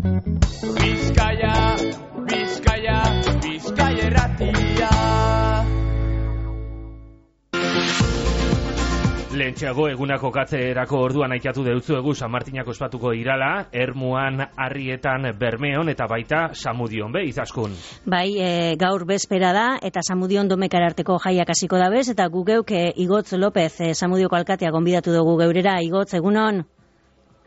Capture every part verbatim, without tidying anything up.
Bizkaia, Bizkaia, Bizkaia erratia. Lehentxeago egunako katzerako orduan aitatu deutzuegu San Martinako ospatuko irala, Ermuan, Arrietan, Bermeon eta baita Samudion, be, Izaskun. Bai, e, gaur bezpera da eta Samudion domekara arteko jaiak hasiko da bez, eta gu geuk e, Igotz López, e, Samudioko alkatea gonbidatu dugu geurera. Igotz, egunon?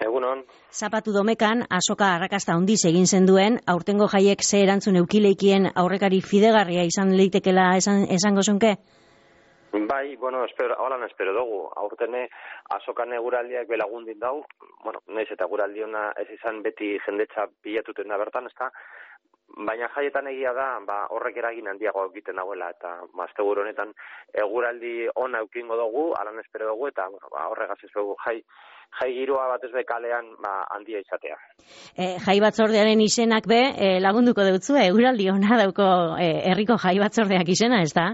Egunon. Zapatu domekan, asoka arrakasta handiz egin zenduen, aurtengo jaiek ze erantzun eukileikien aurrekari fidegarria izan leitekela esan, esango zunke? Bai, bueno, espero, holan espero dugu. Aurtene asokan eguraldiak belagundin dau, bueno, naiz eta eguraldiona ez izan beti jendetza bilatuten da bertan, ezta? Baina jaietan egia da, ba, horrek eragin handiago egiten dagoela, eta astegur honetan eguraldi ona eukingo dugu, alan espero dugu, eta bueno, ba, horregaz ez dugu jai, jai giroa batez be kalean ba, handia izatea. E, jai batzordearen izenak be, e, lagunduko deutzu, eguraldi ona dauko e, herriko jai batzordeak izena, ez da?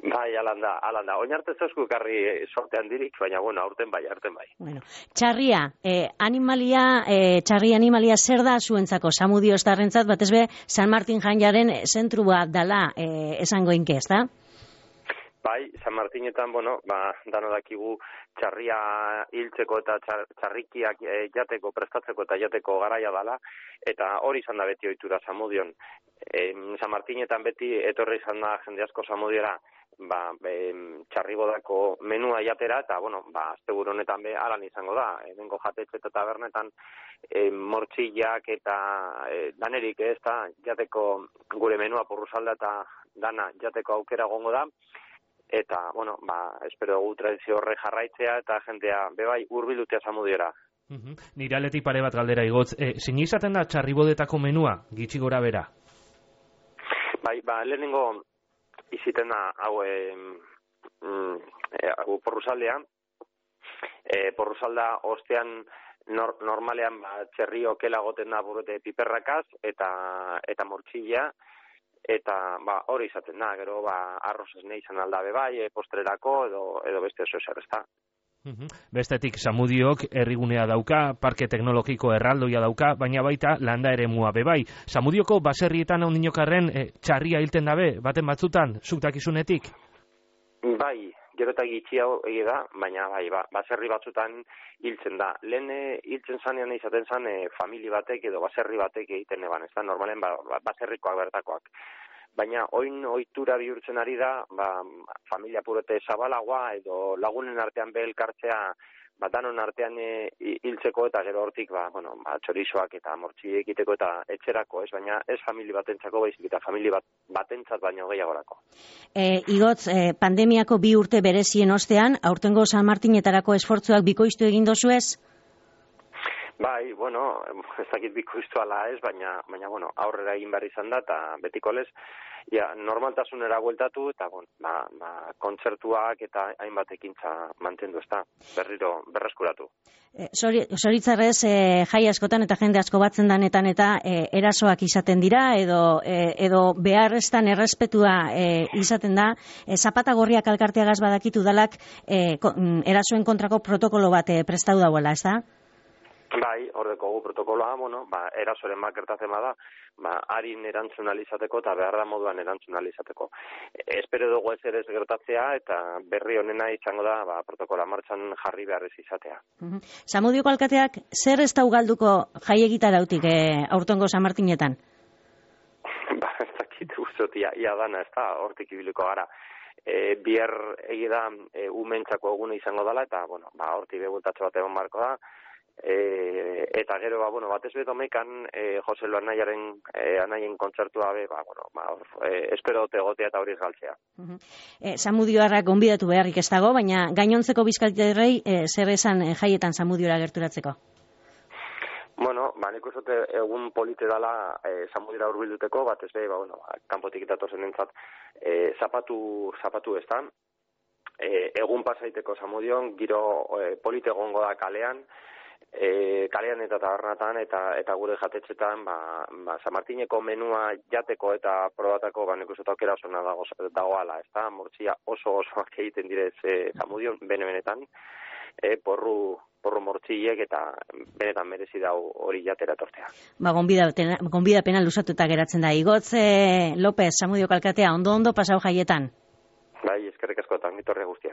Bai, alanda, alanda. Oinarte zozku karri sorte handirik, baina, bueno, aurten bai, aurten bai. Bueno, txarria, eh, animalia, eh, txarri animalia zer da zuentzako, Samudio estarrentzat, batez be, San Martin janjaren zentrua dala eh, esango inke, ez da? Bai, San Martinetan, bueno, ba, dano dakigu txarria hiltzeko eta txar, txarrikiak e, jateko, prestatzeko eta jateko garaia dala, eta hori izan da beti ohitura Samudion. E, San Martinetan beti etorri izan da jende asko Samudiora, ba, e, txarribodako menua jatera, eta, bueno, ba, asteburu honetan be, alan izango da, ebengo jatetxe eta tabernetan, e, mortxillak eta e, danerik ez da, jateko gure menua porrusalda eta dana jateko aukera gongo da, eta, bueno, ba, espero dugu tradizio horre jarraitzea eta jentea bebai hurbilutea Samudiora. Uh-huh. Nire aletik pare bat galdera Igotz, e, zein izaten da txarribodetako menua, gitxi gora bera? Bai, ba, lehenengo iziten da hau e, mm, e, porrusaldea, e, porrusalda ostean nor, normalean ba, txerri okela goten da burete piperrakaz eta, eta mortxilla, eta ba, hori izaten da, gero ba, arroz esne izan aldabe bai, e, postrerako edo, edo beste oso eser, ez da. Uh-huh. Bestetik Samudiok herrigunea dauka, parke teknologiko erraldoia dauka, baina baita landa eremua be bai. Samudioko baserrietan hon dinokarren e, txarria hilten dabe, baten batzutan, zuk dakizunetik? Bai, gero eta gitxiago egi da, baina bai, ba, baserri batzutan hiltzen da. Lehen e, hiltzen zanean izaten zan e, famili batek edo baserri batek egiten eban, ez da, normalen ba, ba, baserrikoak bertakoak. Baina oin ohitura bihurtzen ari da, ba, familia purete zabalagoa edo lagunen artean behelkartzea, ba, danon artean hiltzeko eta gero hortik ba, bueno, ba, txorizoak eta mortxi egiteko eta etxerako, ez, baina ez famili batentzako baizik eta famili bat, batentzat baino gehiagorako. E, Igotz, e, pandemiako bi urte berezien ostean, aurtengo San Martinetarako esfortzuak bikoiztu egin dozu ez? Bai, bueno, ez dakit bikoiztu ala ez, baina, baina bueno, aurrera egin behar izan da, eta betiko lez, ja, normaltasunera bueltatu, eta bon, ba, ba, kontzertuak eta hainbat ekintza mantendu, ez da, berriro, berreskuratu. E, Zoritzarrez, e, jai askotan eta jende asko batzen danetan eta e, erasoak izaten dira, edo, e, edo beharreztan errespetua e, izaten da, e, zapata gorriak alkarteagaz badakitu dalak e, ko, erasoen kontrako protokolo bat e, prestau dauela, ez da? Bai, hordeko gu protokoloa, bueno, ba, erasoren bat gertatzen bada, ba, harin erantzun alizateko eta behar da moduan erantzun alizateko. E, espero dugu ez ere ez gertatzea eta berri honena izango da ba, protokola martxan jarri behar ez izatea. Uh-huh. Samudioko alkateak zer ez da ugalduko jai egitarautik e, aurtengo San Martinetan? Ba, ez dakit guztot, ia, ia dana, ez da, hortik ibiliko gara. E, bier egida e, umentzako egune izango dela eta, bueno, ba, hortik begultatxo bat egon barko da. E, eta gero, ba, bueno, batez beto mekan e, Joselo anaiaren e, anaien kontzertua be, ba, bueno, ba, e, espero dote egotea eta hori galtzea. Uh-huh. e, Samudioarrak gonbidatu beharrik ez dago, baina gainontzeko bizkaitarrei e, zer esan e, jaietan Samudiora gerturatzeko? Bueno, ba, nik uste egun polite dala e, Samudiora hurbilduteko, batez be, ba, bueno, ba, kanpotik datozen entzat, e, zapatu, zapatu ez da, e, egun pasaiteko Samudion, giro e, polite egongo da kalean, E, kalean eta tabernatan eta eta gure jatetxetan ba, ba, San Martineko menua jateko eta probatako ba, nik uste aukera oso dago, dagoala, ez da, mortxia oso osoak egiten direz e, Samudion, bene-benetan, e, porru, porru mortziek eta benetan merezi dau hori jatera tortea. Ba, gonbidapena, gonbidapena lusatuta geratzen da. Igotz eh, López, Samudiok alkatea, ondo-ondo pasau jaietan. Bai, eskerrik askotan, etorri guztiak.